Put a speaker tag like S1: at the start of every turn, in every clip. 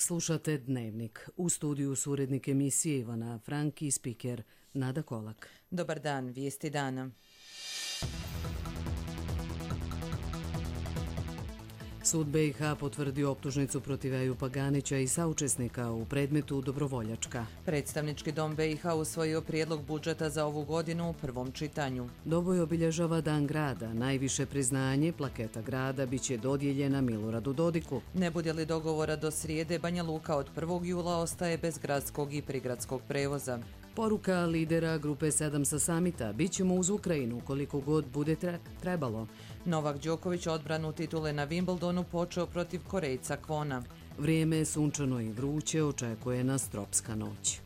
S1: Slušate Dnevnik. U studiju su urednik emisije Ivana Frank i spiker Nada Kolak.
S2: Dobar dan, vijesti dana.
S1: Sud BiH potvrdio optužnicu protiv Ejupa Ganića i saučesnika u predmetu Dobrovoljačka.
S2: Predstavnički dom BiH usvojio prijedlog budžeta za ovu godinu u prvom čitanju.
S1: Doboj obilježava Dan grada. Najviše priznanje, plaketa grada, biće dodijeljena Miloradu Dodiku.
S2: Ne bude li dogovora do srijede, Banja Luka od 1. jula ostaje bez gradskog i prigradskog prevoza.
S1: Poruka lidera Grupe 7 sa samita: bit ćemo uz Ukrajinu koliko god bude trebalo.
S2: Novak Đoković odbranu titule na Wimbledonu počeo protiv Korejca Kwona.
S1: Vrijeme je sunčano i vruće, očekuje nas tropska noć.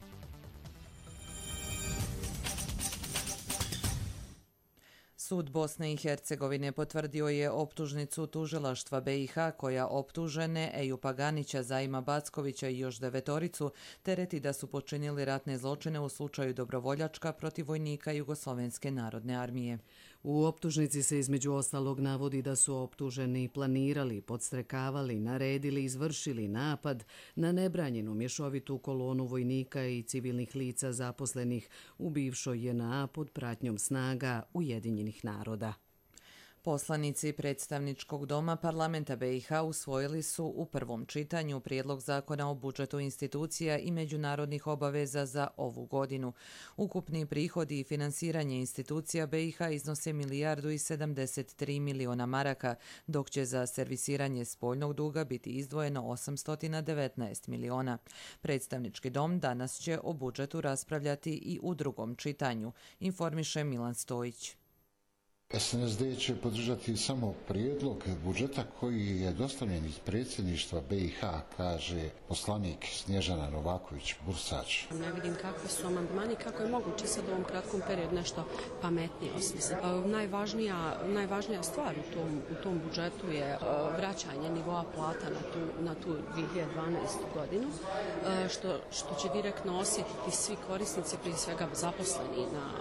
S2: Sud Bosne i Hercegovine potvrdio je optužnicu tužilaštva BiH koja optužene Ejupa Ganića, Zaima Backovića i još 9 tereti da su počinili ratne zločine u slučaju Dobrovoljačka protiv vojnika Jugoslovenske narodne armije.
S1: U optužnici se između ostalog navodi da su optuženi planirali, podstrekavali, naredili, izvršili napad na nebranjenu mješovitu kolonu vojnika i civilnih lica zaposlenih u bivšoj JNA pod pratnjom snaga Ujedinjenih naroda.
S2: Poslanici predstavničkog doma parlamenta BiH usvojili su u prvom čitanju prijedlog zakona o budžetu institucija i međunarodnih obaveza za ovu godinu. Ukupni prihodi i finansiranje institucija BiH iznose 1,73 milijarde maraka, dok će za servisiranje spoljnog duga biti izdvojeno 819 miliona. Predstavnički dom danas će o budžetu raspravljati i u drugom čitanju, informiše Milan Stojić.
S3: SNSD će podržati samo prijedlog budžeta koji je dostavljen iz predsjedništva BiH, kaže poslanik Snježana Novaković-Bursač.
S4: Ne vidim kakvi su amandmani, kako je moguće sad u ovom kratkom periodu nešto pametnije osmisliti. Najvažnija stvar u tom budžetu je vraćanje nivoa plata na tu 2012. godinu, što će direktno osjetiti svi korisnici, prije svega zaposleni na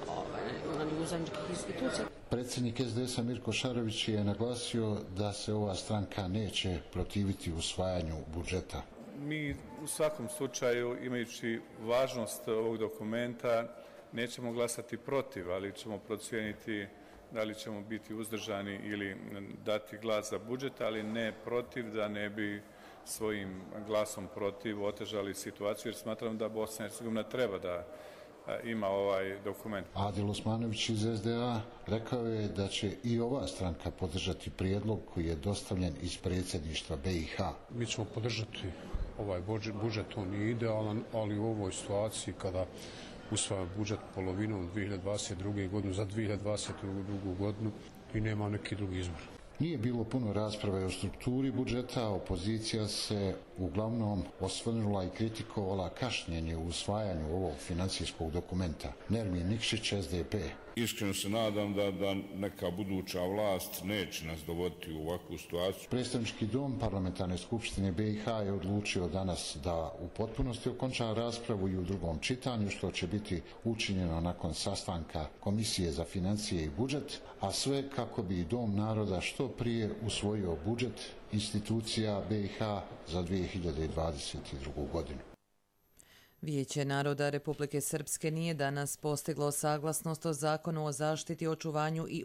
S4: uzajamničkih institucija.
S3: Predsjednik SDS-a Mirko Šarović je naglasio da se ova stranka neće protiviti usvajanju budžeta.
S5: Mi u svakom slučaju, imajući važnost ovog dokumenta, nećemo glasati protiv, ali ćemo procijeniti da li ćemo biti uzdržani ili dati glas za budžet, ali ne protiv, da ne bi svojim glasom protiv otežali situaciju, jer smatram da Bosna i Hercegovina treba da ima ovaj dokument.
S3: Adil Osmanović iz SDA rekao je da će i ova stranka podržati prijedlog koji je dostavljen iz predsjedništva BiH.
S6: Mi ćemo podržati ovaj budžet, on nije idealan, ali u ovoj situaciji kada usvaja budžet polovinom 2022. godinu za 2022. godinu i nema neki drugi izbor.
S3: Nije bilo puno rasprave o strukturi budžeta, opozicija se uglavnom osvrnula i kritikovala kašnjenje u usvajanju ovog financijskog dokumenta. Nermin Nikšić, SDP.
S7: Iskreno se nadam da neka buduća vlast neće nas dovoditi u ovakvu situaciju.
S3: Predstavnički dom parlamentarne skupštine BiH je odlučio danas da u potpunosti okonča raspravu i u drugom čitanju, što će biti učinjeno nakon sastanka Komisije za financije i budžet, a sve kako bi Dom naroda što prije usvojio budžet institucija BiH za 2022. godinu.
S2: Vijeće naroda Republike Srpske nije danas postiglo saglasnost o zakonu o zaštiti, očuvanju i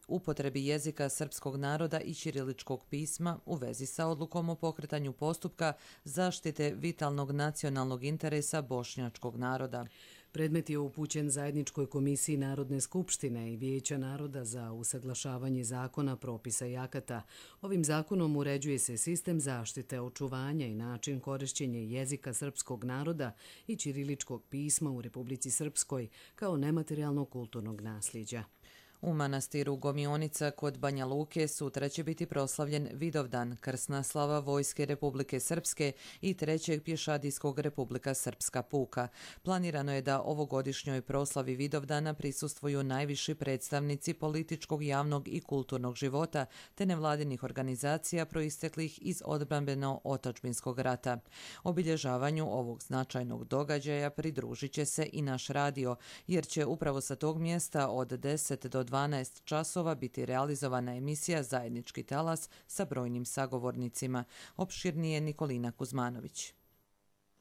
S2: upotrebi jezika srpskog naroda i ćiriličkog pisma u vezi sa odlukom o pokretanju postupka zaštite vitalnog nacionalnog interesa bošnjačkog naroda.
S1: Predmet je upućen Zajedničkoj komisiji Narodne skupštine i Vijeća naroda za usaglašavanje zakona, propisa i akata. Ovim zakonom uređuje se sistem zaštite, očuvanja i način korišćenja jezika srpskog naroda i ćiriličkog pisma u Republici Srpskoj kao nematerijalnog kulturnog nasljeđa.
S2: U manastiru Gomionica kod Banja Luke sutra će biti proslavljen Vidovdan, krsna slava Vojske Republike Srpske i 3. pješadijskog Republika Srpska puka. Planirano je da ovogodišnjoj proslavi Vidovdana prisustvuju najviši predstavnici političkog, javnog i kulturnog života te nevladinih organizacija proisteklih iz odbrambeno-otadžbinskog rata. Obilježavanju ovog značajnog događaja pridružit će se i naš radio, jer će upravo sa tog mjesta od 10 do 12 časova biti realizovana emisija Zajednički talas sa brojnim sagovornicima. Opširnije Nikolina Kuzmanović.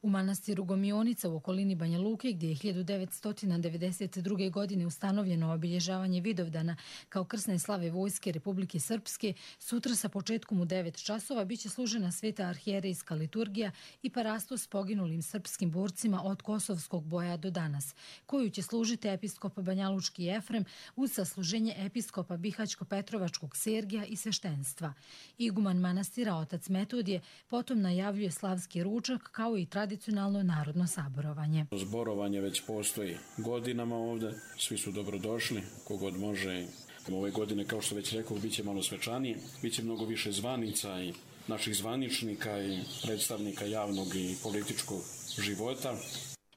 S8: U manastiru Gomionica u okolini Banja Luke, gdje je 1992. godine ustanovljeno obilježavanje Vidovdana kao krsne slave Vojske Republike Srpske, sutra sa početkom u 9 časova biće služena sveta arhijerejska liturgija i parasto s poginulim srpskim borcima od Kosovskog boja do danas, koju će služiti episkop Banjalučki Efrem uz sasluženje episkopa Bihaćko-Petrovačkog Sergija i sveštenstva. Iguman manastira otac Metodije potom najavljuje slavski ručak kao i tradicionalno narodno saborovanje.
S9: Zborovanje već postoji godinama ovdje, svi su dobrodošli, kogod može. Ove godine, kao što već rekao, bit će malo svečanije, bit će mnogo više zvanica i naših zvaničnika i predstavnika javnog i političkog života.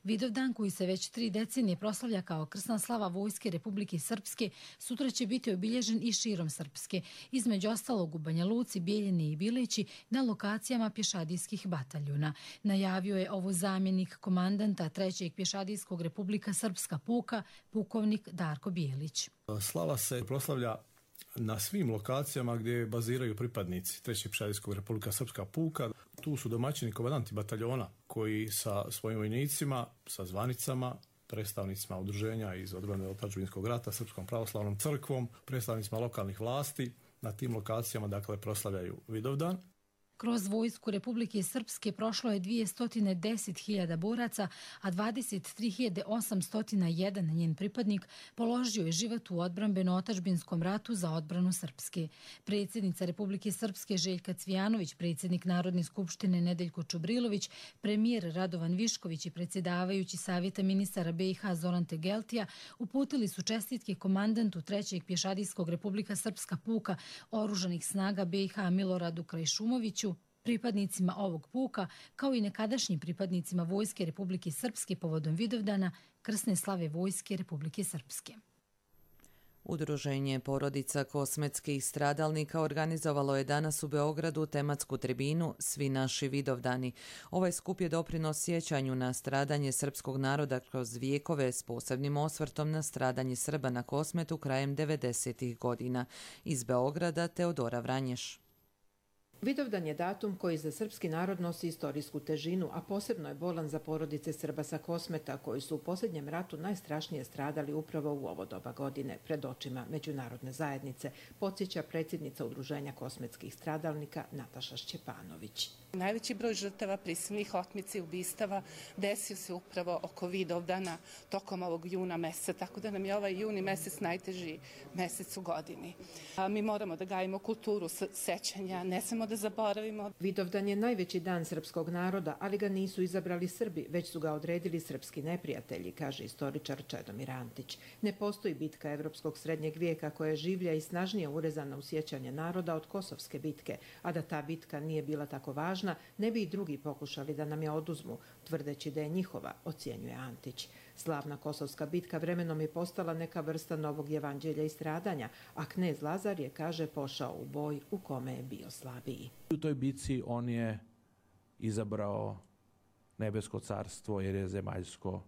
S8: Vidovdan, koji se već 3 decenije proslavlja kao krsna slava Vojske Republike Srpske, sutra će biti obilježen i širom Srpske, između ostalog u Banja Luci, Bijeljini i Bilići, na lokacijama pješadijskih bataljuna. Najavio je ovo zamjenik komandanta 3. pješadijskog Republika Srpska puka, pukovnik Darko Bijelić.
S10: Slava se proslavlja na svim lokacijama gdje baziraju pripadnici 3. pješadijskog Republika Srpska puka. Tu su domaćini komandanti bataljona koji sa svojim vojnicima, sa zvanicama, predstavnicima udruženja iz odbrane otadžbinskog rata, Srpskom pravoslavnom crkvom, predstavnicima lokalnih vlasti na tim lokacijama proslavljaju Vidovdan.
S8: Kroz Vojsku Republike Srpske prošlo je 210.000 boraca, a 23.801 njen pripadnik položio je život u odbrambeno-otadžbinskom ratu za odbranu Srpske. Predsjednica Republike Srpske Željka Cvijanović, predsjednik Narodne skupštine Nedeljko Čubrilović, premijer Radovan Višković i predsjedavajući Savjeta ministara BiH Zoran Tegeltija uputili su čestitke komandantu 3. pješadijskog Republika Srpska puka oružanih snaga BiH Miloradu Krajšumoviću, pripadnicima ovog puka, kao i nekadašnjim pripadnicima Vojske Republike Srpske povodom Vidovdana, krsne slave Vojske Republike Srpske.
S2: Udruženje porodica kosmetskih stradalnika organizovalo je danas u Beogradu tematsku tribinu Svi naši Vidovdani. Ovaj skup je doprinos sjećanju na stradanje srpskog naroda kroz vijekove s posebnim osvrtom na stradanje Srba na Kosmetu krajem 90. godina. Iz Beograda Teodora Vranješ.
S11: Vidovdan je datum koji za srpski narod nosi istorijsku težinu, a posebno je bolan za porodice Srba sa Kosmeta, koji su u posljednjem ratu najstrašnije stradali upravo u ovo doba godine, pred očima međunarodne zajednice, podsjeća predsjednica Udruženja kosmetskih stradalnika Nataša Šćepanović.
S12: Najveći broj žrtava prisilnih otmica i ubistava desio se upravo oko Vidovdana tokom ovog juna meseca, tako da nam je ovaj juni mesec najteži mesec u godini. Mi moramo da gajimo kulturu sećanja, ne samo da zaboravimo.
S11: Vidovdan je najveći dan srpskog naroda, ali ga nisu izabrali Srbi, već su ga odredili srpski neprijatelji, kaže istoričar Čedomir Antić. Ne postoji bitka evropskog srednjeg vijeka koja je življa i snažnije urezana u sjećanje naroda od Kosovske bitke, a da ta bitka nije bila tako važna, ne bi i drugi pokušali da nam je oduzmu, tvrdeći da je njihova, ocjenjuje Antić. Slavna Kosovska bitka vremenom je postala neka vrsta novog evanđelja i stradanja, a knez Lazar je, kaže, pošao u boj u kome je bio slabiji.
S13: U toj bitci on je izabrao nebesko carstvo jer je zemaljsko,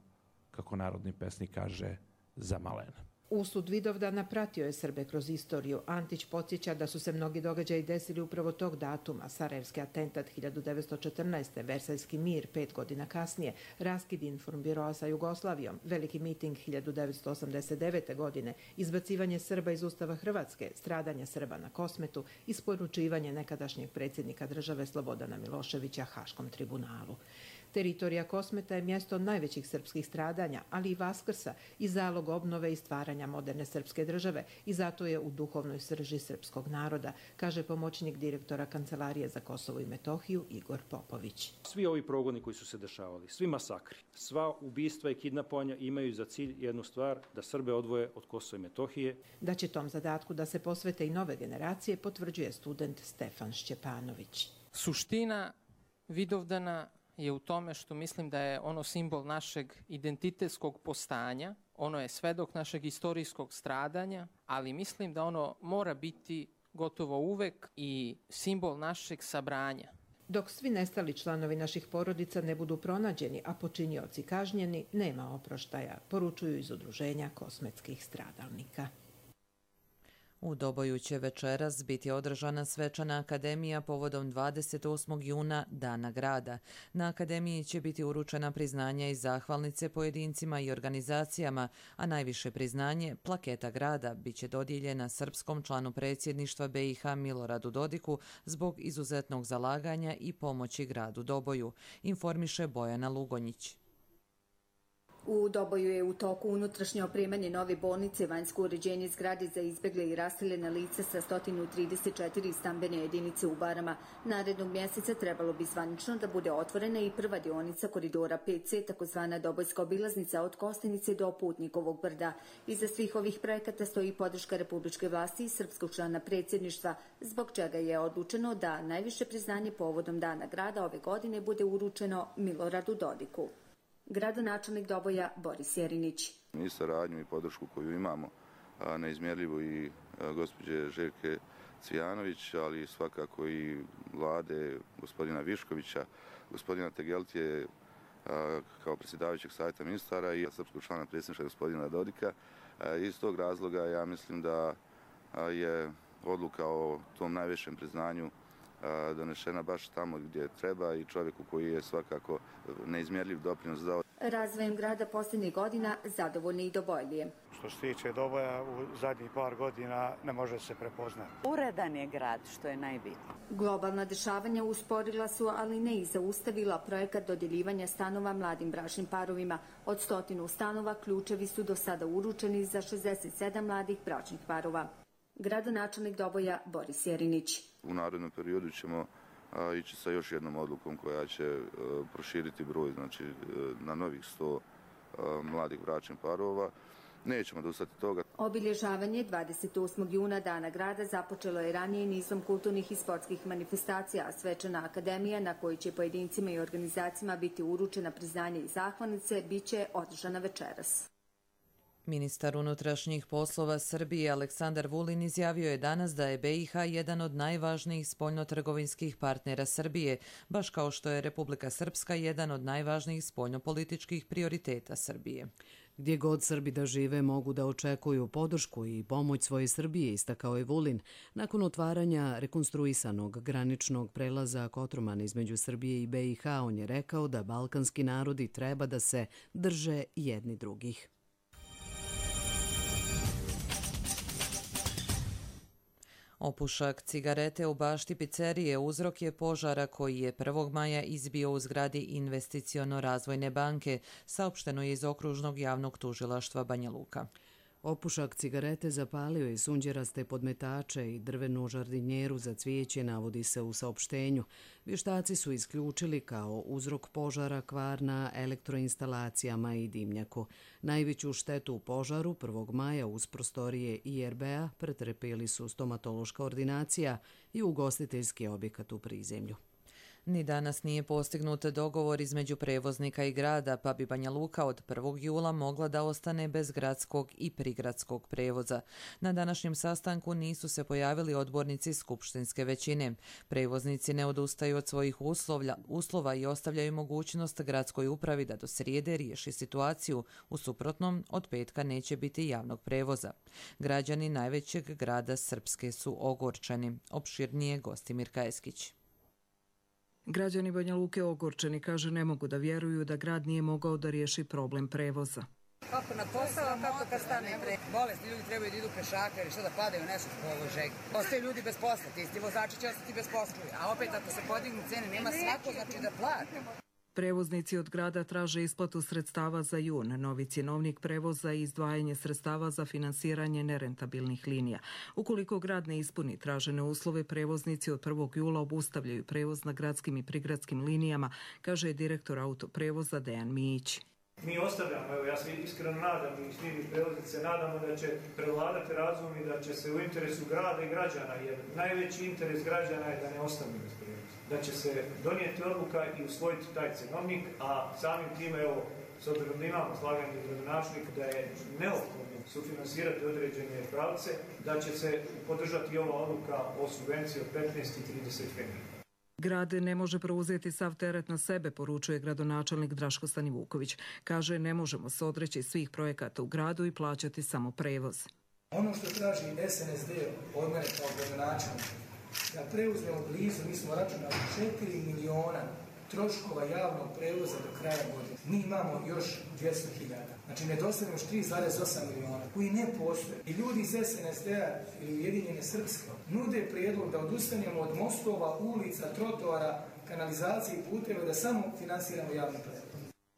S13: kako narodni pesnik kaže, zamalen.
S11: Usud Vidovdana pratio je Srbe kroz istoriju. Antić podsjeća da su se mnogi događaji desili upravo tog datuma. Sarajevski atentat 1914. Versajski mir 5 godina kasnije, raskid informbiroa sa Jugoslavijom, veliki miting 1989. godine, izbacivanje Srba iz Ustava Hrvatske, stradanje Srba na Kosmetu, isporučivanje nekadašnjeg predsjednika države Slobodana Miloševića Haškom tribunalu. Teritorija Kosmeta je mjesto najvećih srpskih stradanja, ali i vaskrsa i zalog obnove i stvaranja moderne srpske države i zato je u duhovnoj srži srpskog naroda, kaže pomoćnik direktora Kancelarije za Kosovo i Metohiju Igor Popović.
S14: Svi ovi progoni koji su se dešavali, svi masakri, sva ubistva i kidnapovanja imaju za cilj jednu stvar, da Srbe odvoje od Kosova i Metohije.
S11: Da će tom zadatku da se posvete i nove generacije, potvrđuje student Stefan Šćepanović.
S15: Suština Vidovdana je u tome što mislim da je ono simbol našeg identitetskog postanja, ono je svedok našeg istorijskog stradanja, ali mislim da ono mora biti gotovo uvek i simbol našeg sabranja.
S11: Dok svi nestali članovi naših porodica ne budu pronađeni, a počinioci kažnjeni, nema oproštaja, poručuju iz Udruženja kosmetskih stradalnika.
S2: U Doboju će večeras biti održana svečana akademija povodom 28. juna Dana grada. Na akademiji će biti uručena priznanja i zahvalnice pojedincima i organizacijama, a najviše priznanje, plaketa grada, bit će dodijeljena srpskom članu predsjedništva BiH Miloradu Dodiku zbog izuzetnog zalaganja i pomoći gradu Doboju, informiše Bojana Lugonjić.
S16: U Doboju je u toku unutrašnje opremanje nove bolnice, vanjsko uređenje zgrade za izbjegle i raseljena lica sa 134 stambene jedinice u Barama. Narednog mjeseca trebalo bi zvanično da bude otvorena i prva dionica koridora 5C, takozvana Dobojska obilaznica od Kostenice do Putnikovog brda. Iza svih ovih projekata stoji podrška republičke vlasti i srpskog člana predsjedništva, zbog čega je odlučeno da najviše priznanje povodom Dana grada ove godine bude uručeno Miloradu Dodiku. Gradonačelnik Doboja Boris Jerinić.
S17: Mi saradnju i podršku koju imamo neizmjerljivu i gospođe Željke Cvijanović, ali svakako i vlade gospodina Viškovića, gospodina Tegeltije kao predsjedavajućeg savjeta ministara i srpskog člana predsjedništva gospodina Dodika. Iz tog razloga ja mislim da je odluka o tom najvišem priznanju donešena baš tamo gdje treba i čovjeku koji je svakako neizmjerljiv doprinos dao.
S16: Razvojem grada posljednjih godina zadovoljni i Dobojlije.
S18: Što se tiče Doboja, u zadnjih par godina ne može se prepoznati.
S19: Uredan je grad, što je najbitnije.
S16: Globalna dešavanja usporila su, ali ne i zaustavila projekat dodjeljivanja stanova mladim bračnim parovima. Od 100 stanova ključevi su do sada uručeni za 67 mladih bračnih parova. Gradonačelnik Doboja Boris Jerinić.
S17: U narednom periodu ćemo ići sa još jednom odlukom koja će proširiti broj, znači na novih 100 mladih bračnih parova. Nećemo odustati toga.
S16: Obilježavanje 28. juna Dana grada započelo je ranije nizom kulturnih i sportskih manifestacija, a svečana akademija na kojoj će pojedincima i organizacijama biti uručena priznanje i zahvalnice bit će održana večeras.
S2: Ministar unutrašnjih poslova Srbije Aleksandar Vulin izjavio je danas da je BiH jedan od najvažnijih spoljnotrgovinskih partnera Srbije, baš kao što je Republika Srpska jedan od najvažnijih spoljnopolitičkih prioriteta Srbije.
S1: Gdje god Srbi da žive mogu da očekuju podršku i pomoć svoje Srbije, istakao je Vulin, nakon otvaranja rekonstruisanog graničnog prelaza Kotroman između Srbije i BiH. On je rekao da balkanski narodi treba da se drže jedni drugih.
S2: Opušak cigarete u bašti pizzerije uzrok je požara koji je 1. maja izbio u zgradi Investiciono-razvojne banke, saopšteno je iz okružnog javnog tužilaštva Banja Luka.
S1: Opušak cigarete zapalio je sunđeraste podmetače i drvenu žardinjeru za cvijeće, navodi se u saopštenju. Vještaci su isključili kao uzrok požara kvar na elektroinstalacijama i dimnjaku. Najveću štetu u požaru 1. maja uz prostorije IRB-a pretrpjeli su stomatološka ordinacija i ugostiteljski objekat u prizemlju.
S2: Ni danas nije postignut dogovor između prevoznika i grada, pa bi Banja Luka od 1. jula mogla da ostane bez gradskog i prigradskog prevoza. Na današnjem sastanku nisu se pojavili odbornici skupštinske većine. Prevoznici ne odustaju od svojih uslova i ostavljaju mogućnost gradskoj upravi da do srijede riješi situaciju. U suprotnom, od petka neće biti javnog prevoza. Građani najvećeg grada Srpske su ogorčeni. Opširnije Gostimir Kajeskić.
S20: Građani Banja Luke ogorčeni, kaže, ne mogu da vjeruju da grad nije mogao da riješi problem prevoza.
S21: Kako na posao, kako kad stane bolesni ljudi trebaju da idu pešaka ili što da padaju nešto s položaj. Ostaju ljudi bez posla, ti isti vozači će ostati bez posla. A opet ako se podignu cene, nema svako znači da plati.
S20: Prevoznici od grada traže isplatu sredstava za jun, novi cjenovnik prevoza i izdvajanje sredstava za finansiranje nerentabilnih linija. Ukoliko grad ne ispuni tražene uslove, prevoznici od 1. jula obustavljaju prevoz na gradskim i prigradskim linijama, kaže direktor autoprevoza Dejan Mijić.
S22: Mi ostavljamo, evo ja se iskreno nadam i svi prevoznici nadamo da će prevladati razum i da će se u interesu grada i građana, jer najveći interes građana je da ne ostanu bez prevoza. Da će se donijeti odluka i usvojiti taj cenovnik, a samim time, evo, s obzirom da imamo slaganje gradonačelnika da je neophodno sufinansirati određene pravce, da će se podržati ova odluka o subvenciji od 15 i 30 fenija.
S20: Grad ne može preuzeti sav teret na sebe, poručuje gradonačelnik Draško Stanivuković. Kaže, ne možemo se odreći svih projekata u gradu i plaćati samo prevoz.
S4: Ono što traži SNSD od mene kao gradonačelnika, da preuzmemo blizu, mi smo računali 4 miliona troškova javnog prevoza do kraja godine. Mi imamo još 200.000. Znači nedostajemo još 3,8 miliona koji ne postoje. I ljudi iz SNSD-a ili Ujedinjene Srpske nude prijedlog da odustanemo od mostova, ulica, trotoara, kanalizacije i puteva, da samo finansiramo javni prevoz.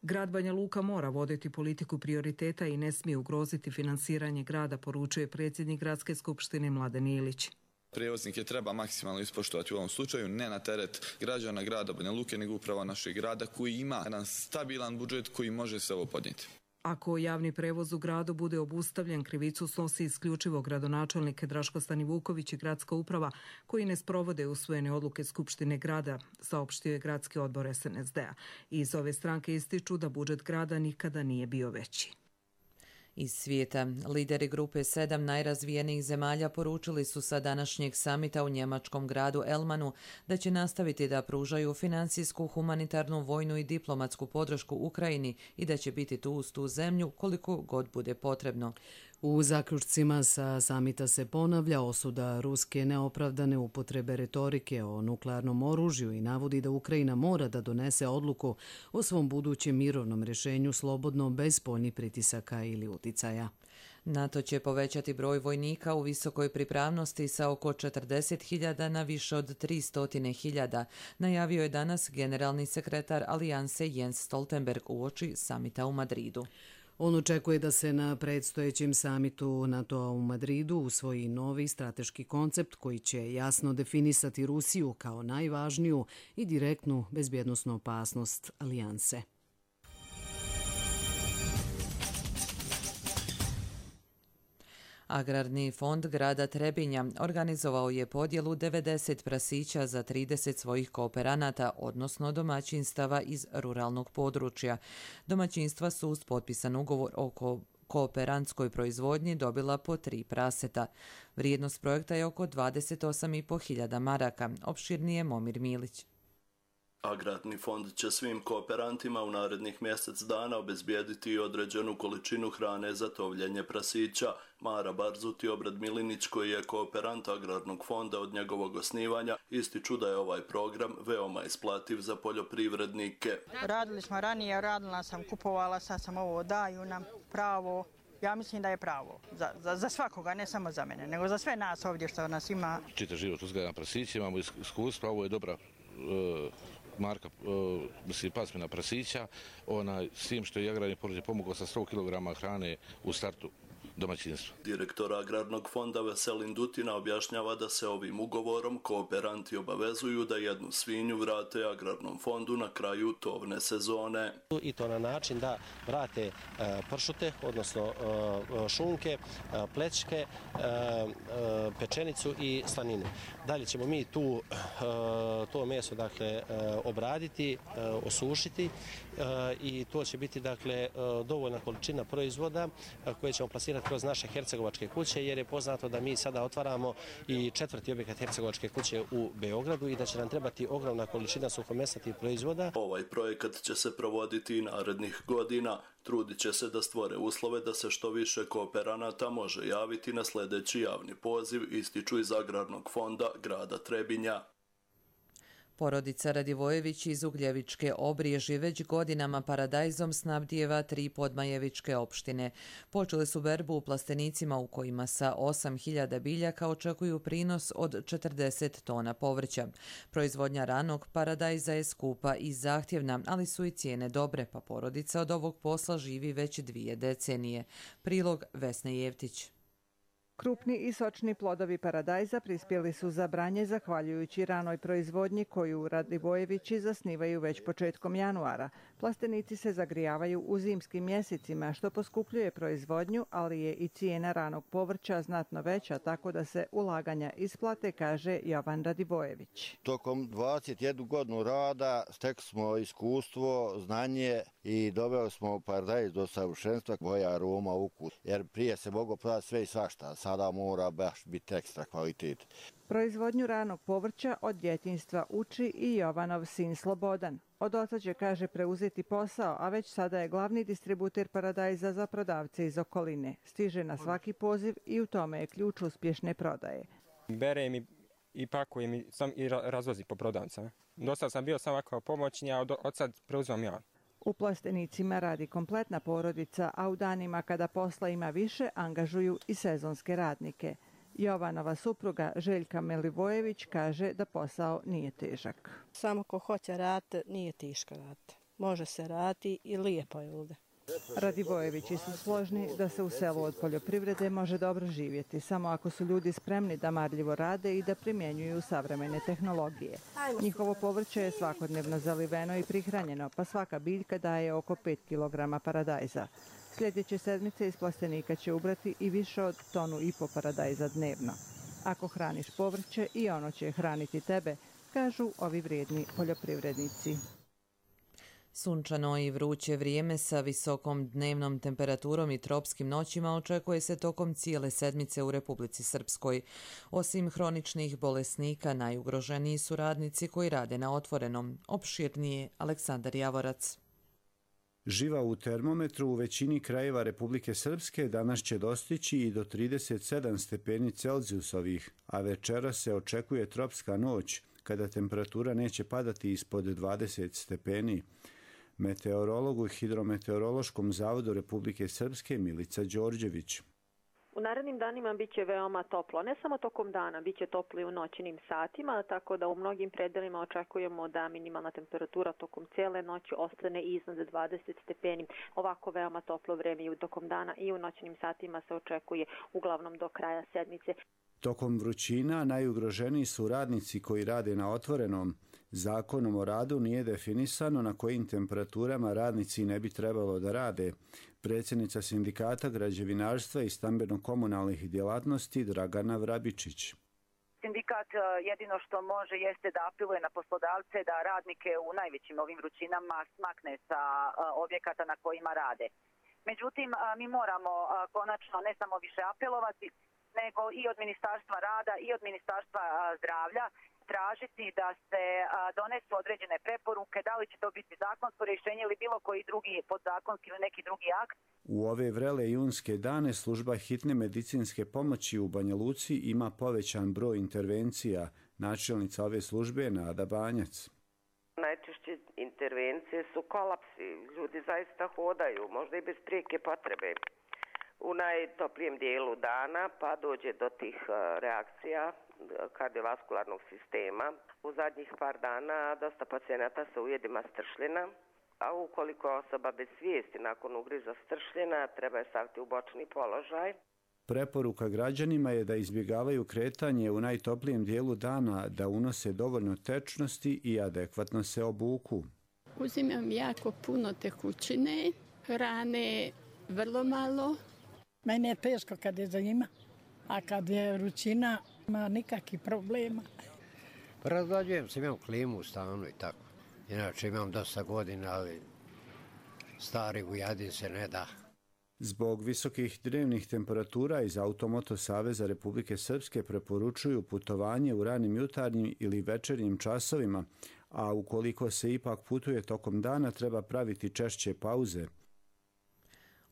S20: Grad Banja Luka mora voditi politiku prioriteta i ne smije ugroziti finansiranje grada, poručuje predsjednik Gradske skupštine Mladen Ilić.
S5: Prijevoznike treba maksimalno ispoštovati u ovom slučaju, ne na teret građana grada Banja Luke, nego upravo našeg grada koji ima jedan stabilan budžet koji može se ovo podnijeti.
S20: Ako javni prevoz u gradu bude obustavljen, krivicu snosi isključivo gradonačelnik Draško Stanivuković i gradska uprava koji ne sprovode usvojene odluke Skupštine grada, saopštio je gradski odbor SNSD-a. Iz ove stranke ističu da budžet grada nikada nije bio veći.
S2: Iz svijeta, lideri grupe 7 najrazvijenijih zemalja poručili su sa današnjeg samita u njemačkom gradu Elmanu da će nastaviti da pružaju financijsku, humanitarnu, vojnu i diplomatsku podršku Ukrajini i da će biti tu uz tu zemlju koliko god bude potrebno.
S1: U zaključcima sa samita se ponavlja osuda ruske neopravdane upotrebe retorike o nuklearnom oružju i navodi da Ukrajina mora da donese odluku o svom budućem mirovnom rješenju slobodno bez spoljnih pritisaka ili uticaja.
S2: NATO će povećati broj vojnika u visokoj pripravnosti sa oko 40.000 na više od 300.000, najavio je danas generalni sekretar Alijanse Jens Stoltenberg uoči samita u Madridu.
S1: On očekuje da se na predstojećem samitu NATO-a u Madridu usvoji novi strateški koncept koji će jasno definisati Rusiju kao najvažniju i direktnu bezbjednosnu opasnost alijanse.
S2: Agrarni fond grada Trebinja organizovao je podjelu 90 prasića za 30 svojih kooperanata, odnosno domaćinstava iz ruralnog područja. Domaćinstva su uz potpisan ugovor o kooperantskoj proizvodnji dobila po 3 praseta. Vrijednost projekta je oko 28.500 maraka, opširnije Momir Milić.
S23: Agrarni fond će svim kooperantima u narednih mjesec dana obezbijediti određenu količinu hrane za tovljenje prasića. Mara Barzuti Obrad Milinić, koji je kooperant Agrarnog fonda od njegovog osnivanja, ističu da je ovaj program veoma isplativ za poljoprivrednike.
S24: Radili smo ranije, radila sam, kupovala, sad sam ovo, daju nam pravo. Ja mislim da je pravo za svakoga, ne samo za mene, nego za sve nas ovdje što nas ima.
S25: Čitav život uzgaja na prasiće, imamo iskustva, ovo je dobra marka, pasmina prasića, s tim što je agrarni fond pomogao sa 100 kg hrane u startu domaćinstva.
S23: Direktor Agrarnog fonda Veselin Dutina objašnjava da se ovim ugovorom kooperanti obavezuju da jednu svinju vrate Agrarnom fondu na kraju tovne sezone.
S26: I to na način da vrate pršute, odnosno šunke, plećke, pečenicu i slaninu. Dalje ćemo mi to meso obraditi, osušiti i to će biti dovoljna količina proizvoda koje ćemo plasirati kroz naše hercegovačke kuće, jer je poznato da mi sada otvaramo i 4. objekat hercegovačke kuće u Beogradu i da će nam trebati ogromna količina suhomesnatih proizvoda.
S23: Ovaj projekat će se provoditi i narednih godina. Trudit će se da stvore uslove da se što više kooperanata može javiti na sljedeći javni poziv, ističu iz Agrarnog fonda grada Trebinja.
S2: Porodica Radivojević iz Ugljevičke Obriježi već godinama paradajzom snabdijeva 3 podmajevičke opštine. Počeli su berbu u plastenicima u kojima sa 8.000 biljaka očekuju prinos od 40 tona povrća. Proizvodnja ranog paradajza je skupa i zahtjevna, ali su i cijene dobre, pa porodica od ovog posla živi već 2 decenije. Prilog Vesne Jevtić.
S27: Krupni i sočni plodovi paradajza prispjeli su za branje zahvaljujući ranoj proizvodnji koju Radivojevići zasnivaju već početkom januara. Plastenici se zagrijavaju u zimskim mjesecima, što poskupljuje proizvodnju, ali je i cijena ranog povrća znatno veća, tako da se ulaganja isplate, kaže Jovan Radivojević.
S28: Tokom 21 godinu rada stekli smo iskustvo, znanje i doveli smo paradajz do savršenstva, boja, aroma, ukus. Jer prije se moglo prodati sve i svašta, sada mora baš biti ekstra kvalitet.
S27: Proizvodnju ranog povrća od djetinjstva uči i Jovanov sin Slobodan. Od oca će, kaže, preuzeti posao, a već sada je glavni distributer paradajza za prodavce iz okoline. Stiže na svaki poziv i u tome je ključ uspješne prodaje.
S3: Bere mi i pakuje mi i razvozi po prodavcama. Do sad sam bio samo kao pomoćni, a od sad preuzimam ja.
S27: U Plastenicima radi kompletna porodica, a u danima kada posla ima više, angažuju i sezonske radnike. Jovanova supruga Željka Milivojević kaže da posao nije težak.
S6: Samo ko hoće raditi, nije teško raditi. Može se raditi i lijepo je ovdje.
S27: Radivojevići su složni da se u selu od poljoprivrede može dobro živjeti, samo ako su ljudi spremni da marljivo rade i da primjenjuju savremene tehnologije. Njihovo povrće je svakodnevno zaliveno i prihranjeno, pa svaka biljka daje oko 5 kg paradajza. Sljedeće sedmice iz plastenika će ubrati i više od 1,5 tonu paradajza dnevno. Ako hraniš povrće, i ono će hraniti tebe, kažu ovi vrijedni poljoprivrednici.
S2: Sunčano i vruće vrijeme sa visokom dnevnom temperaturom i tropskim noćima očekuje se tokom cijele sedmice u Republici Srpskoj. Osim hroničnih bolesnika, najugroženiji su radnici koji rade na otvorenom. Opširnije Aleksandar Javorac.
S7: Živa u termometru u većini krajeva Republike Srpske danas će dostići i do 37 stepeni Celzijusovih, a večera se očekuje tropska noć, kada temperatura neće padati ispod 20 stepeni. Meteorolog u Hidrometeorološkom zavodu Republike Srpske Milica Đorđević.
S8: U narednim danima bit će veoma toplo, ne samo tokom dana, bit će toplo i u noćnim satima, tako da u mnogim predelima očekujemo da minimalna temperatura tokom cijele noći ostane iznad 20 stepeni. Ovako veoma toplo vreme i tokom dana i u noćnim satima se očekuje uglavnom do kraja sedmice.
S7: Tokom vrućina najugroženiji su radnici koji rade na otvorenom. Zakonom o radu nije definisano na kojim temperaturama radnici ne bi trebalo da rade. Predsjednica Sindikata građevinarstva i stambeno-komunalnih djelatnosti Dragana Vrabičić.
S9: Sindikat jedino što može jeste da apeluje na poslodavce da radnike u najvećim ovim vrućinama smakne sa objekata na kojima rade. Međutim, mi moramo konačno ne samo više apelovati, nego i od Ministarstva rada i od Ministarstva zdravlja tražiti da se donesu određene preporuke, da li će to biti zakonsko rješenje ili bilo koji drugi podzakonski ili neki drugi akt.
S7: U ove vrele junske dane služba hitne medicinske pomoći u Banja Luci ima povećan broj intervencija. Načelnica ove službe je Nada Banjac.
S10: Najčešće intervencije su kolapsi. Ljudi zaista hodaju, možda i bez prijeke potrebe. U najtoplijem dijelu dana pa dođe do tih reakcija kardiovaskularnog sistema. U zadnjih par dana dosta pacijenata sa ujedima stršljena, a ukoliko je osoba bez svijesti nakon ugriza stršljena, treba je staviti u bočni položaj.
S7: Preporuka građanima je da izbjegavaju kretanje u najtoplijem dijelu dana, da unose dovoljno tečnosti i adekvatno se obuku.
S12: Uzimam jako puno tekućine, hrane vrlo malo.
S6: Meni je teško kad je zima, a kad je vrućina, nema nikakvih problema.
S13: Razlađujem se, imam klimu u stanu i tako. Inače imam dosta godina, ali stari Vujadin se ne da.
S7: Zbog visokih dnevnih temperatura iz Automoto Saveza Republike Srpske preporučuju putovanje u ranim jutarnjim ili večernjim časovima, a ukoliko se ipak putuje tokom dana treba praviti češće pauze.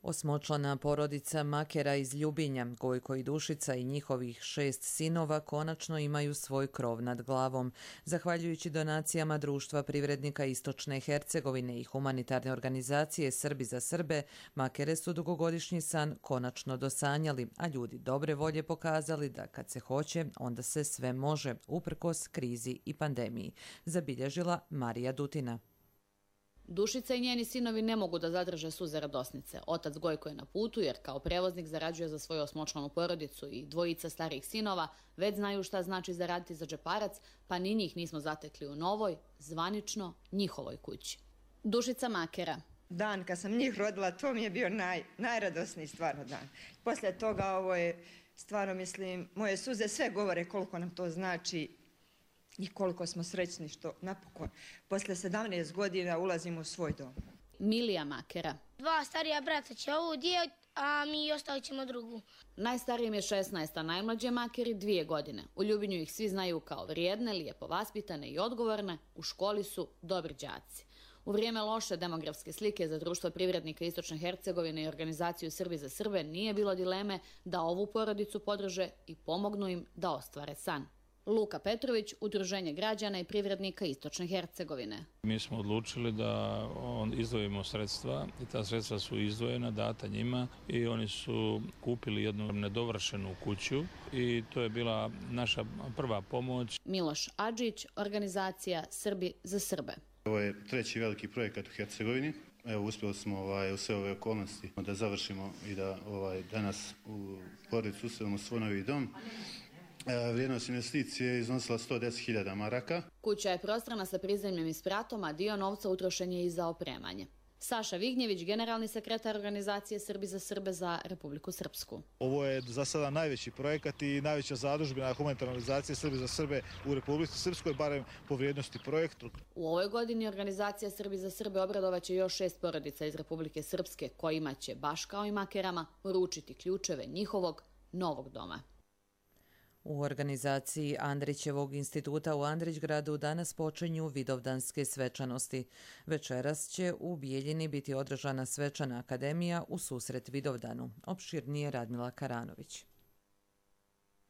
S2: Osmočlana porodica Makera iz Ljubinja, Gojko i Dušica i njihovih 6 sinova konačno imaju svoj krov nad glavom. Zahvaljujući donacijama Društva privrednika Istočne Hercegovine i humanitarne organizacije Srbi za Srbe, Makere su dugogodišnji san konačno dosanjali, a ljudi dobre volje pokazali da kad se hoće, onda se sve može, uprkos krizi i pandemiji, zabilježila Marija Dutina.
S29: Dušica i njeni sinovi ne mogu da zadrže suze radosnice. Otac Gojko je na putu jer kao prevoznik zarađuje za svoju osmočlanu porodicu i dvojica starijih sinova već znaju šta znači zaraditi za džeparac, pa ni njih nismo zatekli u novoj, zvanično njihovoj kući. Dušica Makera.
S30: Dan kad sam njih rodila, to mi je bio najradosniji stvarno dan. Poslije toga ovo je stvarno, mislim, moje suze sve govore koliko nam to znači i koliko smo srećni što napokon posle 17 godina ulazimo u svoj dom.
S29: Milija Makera.
S31: 2 starija brata će ovu dijeliti, a mi ostavit ćemo drugu.
S29: Najstarijem je 16, a najmlađe Makeri 2 godine. U Ljubinju ih svi znaju kao vrijedne, lijepo vaspitane i odgovorne, u školi su dobri đaci. U vrijeme loše demografske slike za društvo privrednika Istočne Hercegovine i organizaciju Srbi za Srbe nije bilo dileme da ovu porodicu podrže i pomognu im da ostvare san. Luka Petrović, Udruženje građana i privrednika Istočne Hercegovine.
S4: Mi smo odlučili da izdvojimo sredstva i ta sredstva su izdvojena, data njima i oni su kupili jednu nedovršenu kuću i to je bila naša prva pomoć.
S29: Miloš Adžić, organizacija Srbi za Srbe.
S5: Ovo je treći veliki projekat u Hercegovini. Evo, uspjeli smo u sve ove okolnosti da završimo i da danas u porodicu uselimo svoj novi dom. Vrijednost investicije je iznosila 110.000 maraka.
S29: Kuća je prostrana sa prizemljem i spratom, a dio novca utrošen je i za opremanje. Saša Vignjević, generalni sekretar organizacije Srbi za Srbe za Republiku Srpsku.
S11: Ovo je za sada najveći projekat i najveća zadužbina humanitarne organizacije Srbi za Srbe u Republici Srpskoj, barem po vrijednosti projektu.
S29: U ovoj godini organizacija Srbi za Srbe obradovaće još 6 porodica iz Republike Srpske, kojima će, baš kao i makerama, uručiti ključeve njihovog novog doma.
S2: U organizaciji Andrićevog instituta u Andrićgradu danas počinju vidovdanske svečanosti. Večeras će u Bijeljini biti održana svečana akademija u susret Vidovdanu. Opširnije Radmila Karanović.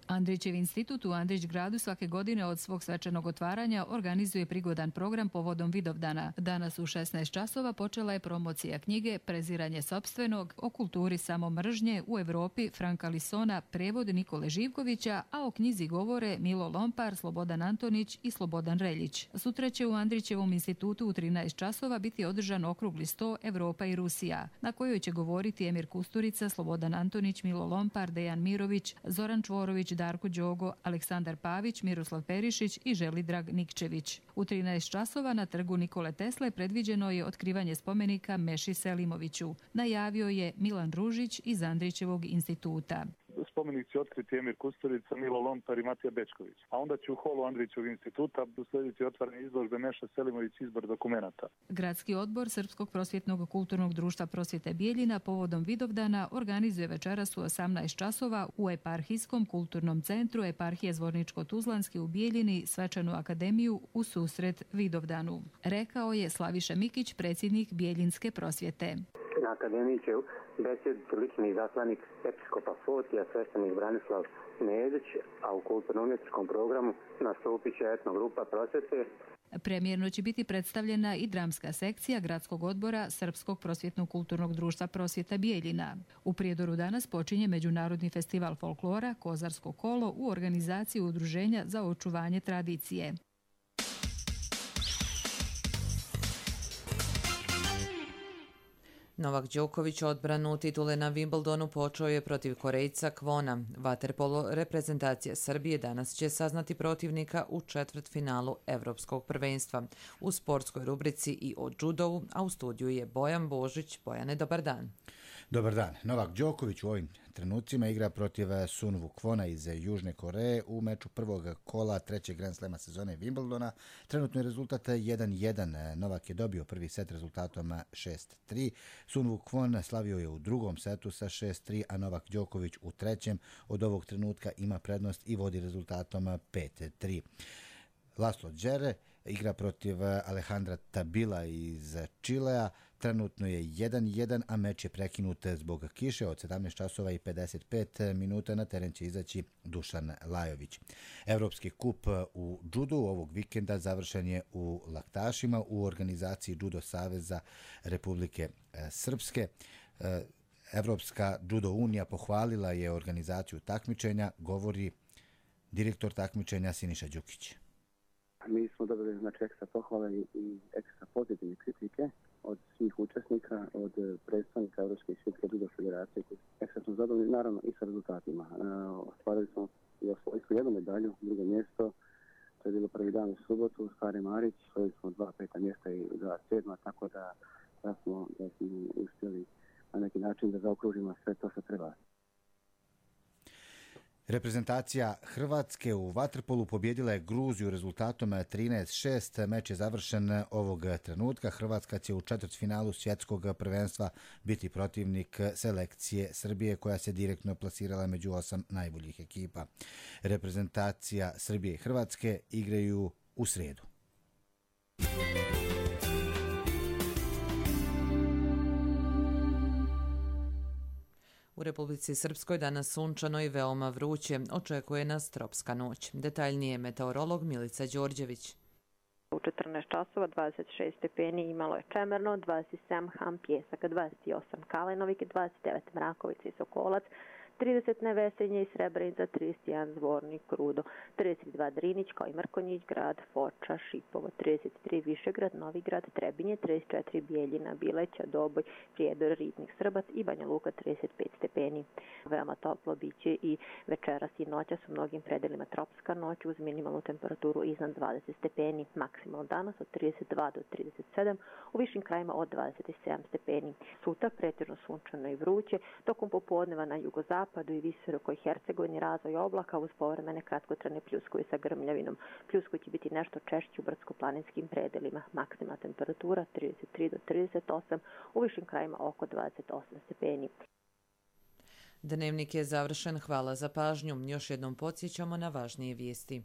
S14: Andrićev institut u Andrićgradu svake godine od svog svečanog otvaranja organizuje prigodan program povodom Vidovdana. Danas u 16 časova počela je promocija knjige Preziranje sopstvenog o kulturi samomržnje u Evropi Franka Lisona, prevod Nikole Živkovića, a o knjizi govore Milo Lompar, Slobodan Antonić i Slobodan Reljić. Sutra će u Andrićevom institutu u 13 časova biti održan okrugli sto Evropa i Rusija, na kojoj će govoriti Emir Kusturica, Slobodan Antonić, Milo Lompar, Dejan Mirović, Zoran Čvorović, Darko Đogo, Aleksandar Pavić, Miroslav Perišić i Želidrag Nikčević. U 13 časova na trgu Nikole Tesle predviđeno je otkrivanje spomenika Meši Selimoviću. Najavio je Milan Ružić iz Andrićevog instituta.
S15: Spomenik će otkriti Emir Kusturica, Milo Lompar i Matija Bečković. A onda će u holu Andrićevog instituta uslediti otvaranje izložbe Meša Selimović izbor dokumenata.
S14: Gradski odbor Srpskog prosvjetnog kulturnog društva Prosvjete Bijeljina povodom Vidovdana organizuje večeras u 18 časova u Eparhijskom kulturnom centru Eparhije Zvorničko-Tuzlanski u Bijeljini svečanu akademiju u susret Vidovdanu. Rekao je Slaviša Mikić, predsjednik Bijeljinske prosvjete.
S16: Na akademiji će besjediti lični izaslanik episkopa Fotija, sveštenik Branislav Nedić, a u kulturno-umjetničkom programu nastupit će etnogrupa prosvjete.
S14: Premijerno će biti predstavljena i dramska sekcija Gradskog odbora Srpskog prosvjetnog kulturnog društva Prosvjeta Bijeljina. U Prijedoru danas počinje Međunarodni festival folklora Kozarsko kolo u organizaciji Udruženja za očuvanje tradicije.
S2: Novak Đoković odbranu titule na Wimbledonu počeo je protiv Korejca Kwona. Vaterpolo reprezentacija Srbije danas će saznati protivnika u četvrtfinalu Evropskog prvenstva. U sportskoj rubrici i o judovu, a u studiju je Bojan Božić. Bojane, dobar dan.
S17: Dobar dan. Novak Đoković u ovim trenucima igra protiv Sun Woo Kwona iz Južne Koreje u meču prvog kola trećeg Grand Slema sezone Wimbledona. Trenutno je rezultat 1-1. Novak je dobio prvi set rezultatom 6-3. Sun Woo Kwon slavio je u drugom setu sa 6-3, a Novak Đoković u trećem od ovog trenutka ima prednost i vodi rezultatom 5-3. Laslo Džere igra protiv Alejandra Tabila iz Čilea. Trenutno je 1-1, a meč je prekinut zbog kiše. Od 17 časova i 55 minuta na teren će izaći Dušan Lajović. Evropski kup u judu ovog vikenda završen je u Laktašima u organizaciji Judo Saveza Republike Srpske. Evropska judo unija pohvalila je organizaciju takmičenja, govori direktor takmičenja Siniša Đukić.
S18: Mi smo dobili ekstra pohvale i ekstra pozitivne kritike od svih učesnika, od predstavnika Evropske svjetske judo federacije koji ekstra smo zadovoljni, naravno i sa rezultatima. Ostvarili smo i osvojili jednu medalju, drugo mjesto, to je bilo prvi dan u subotu, Stari Marić, osvojili smo 2 5. mjesta i 2 7. tako da smo uspjeli na neki način da zaokružimo sve to što treba.
S17: Reprezentacija Hrvatske u vaterpolu pobjedila je Gruziju rezultatom 13-6. Meč je završen ovog trenutka. Hrvatska će u četvrtfinalu svjetskog prvenstva biti protivnik selekcije Srbije koja se direktno plasirala među 8 najboljih ekipa. Reprezentacija Srbije i Hrvatske igraju u srijedu.
S2: U Republici Srpskoj danas sunčano i veoma vruće, očekuje nas tropska noć. Detaljnije meteorolog Milica Đorđević.
S8: U 14 časova 26 stepeni imalo je Čemerno, 27 Ham Pjesaka, 28 Kalenovik, 29 Mrakovica i Sokolac, 30 Nevesenje i Srebrenica, 31 Zvornik, Krudo, 32 Drinić kao i Mrkonjić grad, Foča, Šipovo, 33 Višegrad, Novigrad, Trebinje, 34 Bijeljina, Bileća, Doboj, Prijedor, Ribnik, Srbac i Banja Luka 35 stepeni. Veoma toplo biće i večeras i noćas u mnogim predelima tropska noć uz minimalnu temperaturu iznad 20 stepeni, maksimalno danas od 32 do 37, u višim krajima od 27 stepeni. Sutra pretežno sunčano i vruće, tokom popodneva na jugozapadu i visokoj Hercegovini razvoj oblaka uz povremene kratkotrajne pljuskovi sa grmljavinom. Pljuskovi će biti nešto češći u brdsko-planinskim predelima. Maksimalna temperatura 33 do 38, u višim krajima oko 28 stepeni.
S2: Dnevnik je završen. Hvala za pažnju. Još jednom podsjećamo na važnije vijesti.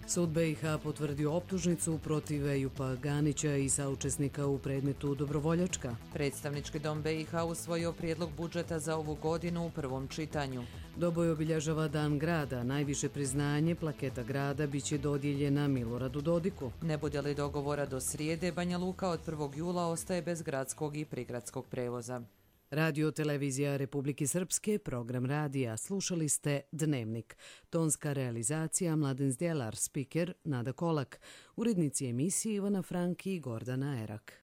S1: Sud BiH potvrdio optužnicu protiv Ejupa Ganića i saučesnika u predmetu Dobrovoljačka.
S2: Predstavnički dom BiH usvojio prijedlog budžeta za ovu godinu u prvom čitanju.
S1: Doboj obilježava Dan grada. Najviše priznanje plaketa grada biće dodijeljena Miloradu Dodiku.
S2: Ne bude li dogovora do srijede, Banja Luka od 1. jula ostaje bez gradskog i prigradskog prevoza.
S1: Radio Televizija Republike Srpske, program radija. Slušali ste Dnevnik. Tonska realizacija Mladen Zdjelar, spiker Nada Kolak. Urednici emisije Ivana Franki i Gordana Erak.